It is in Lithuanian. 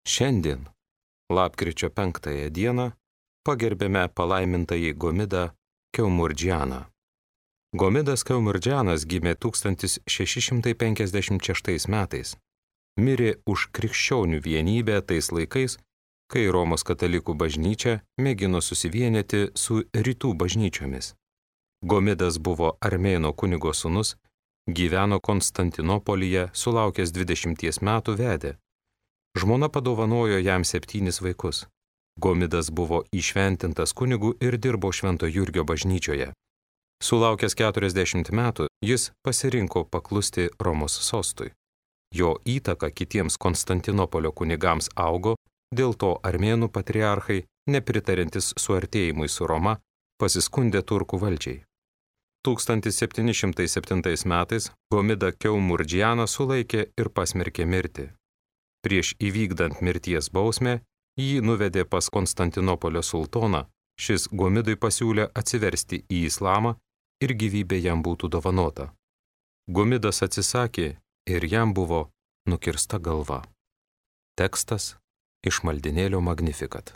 Šiandien, lapkričio 5 dieną, pagerbėme palaimintąjį Gomidą Keumurdžianą. Gomidas Keumurdžianas gimė 1656 metais. Mirė už krikščionių vienybę tais laikais, kai Romos katalikų bažnyčia mėgino susivienyti su rytų bažnyčiomis. Gomidas buvo armėno kunigo sūnus, gyveno Konstantinopolyje, sulaukęs 20 metų vedė. Žmona padovanojo jam 7 vaikus. Gomidas buvo įšventintas kunigu ir dirbo Švento Jurgio bažnyčioje. Sulaukęs 40 metų, jis pasirinko paklusti Romos sostui. Jo įtaka kitiems Konstantinopolio kunigams augo, dėl to armėnų patriarchai, nepritarintis suartėjimui su Roma, pasiskundė turkų valdžiai. 1707 metais Gomidą Keumurdžianą sulaikė ir pasmerkė mirti. Prieš įvykdant mirties bausmę, jį nuvedė pas Konstantinopolio sultoną, šis Gomidui pasiūlė atsiversti į islamą ir gyvybė jam būtų dovanota. Gomidas atsisakė ir jam buvo nukirsta galva. Tekstas iš maldinėlio Magnificat.